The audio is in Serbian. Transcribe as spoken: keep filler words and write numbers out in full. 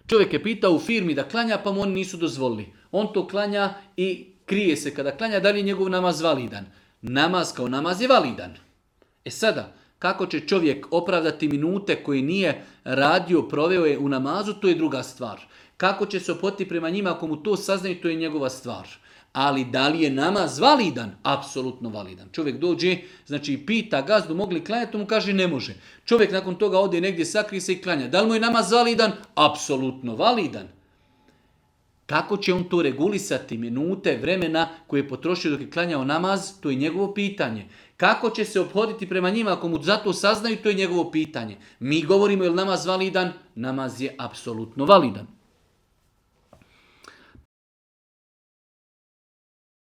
Čovjek je pitao u firmi da klanja, pa mu oni nisu dozvolili. On to klanja i krije se kada klanja, da li je njegov namaz validan. Namaz kao namaz je validan. E sada, kako će čovjek opravdati minute koje nije radio, proveo je u namazu, to je druga stvar. Kako će se ophoditi prema njima ako mu to saznaju, to je njegova stvar. Ali da li je namaz validan? Apsolutno validan. Čovjek dođe, znači pita gazdu mogli klanjati, to mu kaže ne može. Čovjek nakon toga ode negdje, sakrije se i klanja. Da li mu je namaz validan? Apsolutno validan. Kako će on to regulisati minute, vremena koje je potrošio dok je klanjao namaz, to je njegovo pitanje. Kako će se ophoditi prema njima ako mu zato saznaju, to je njegovo pitanje. Mi govorimo je li namaz validan? Namaz je apsolutno validan.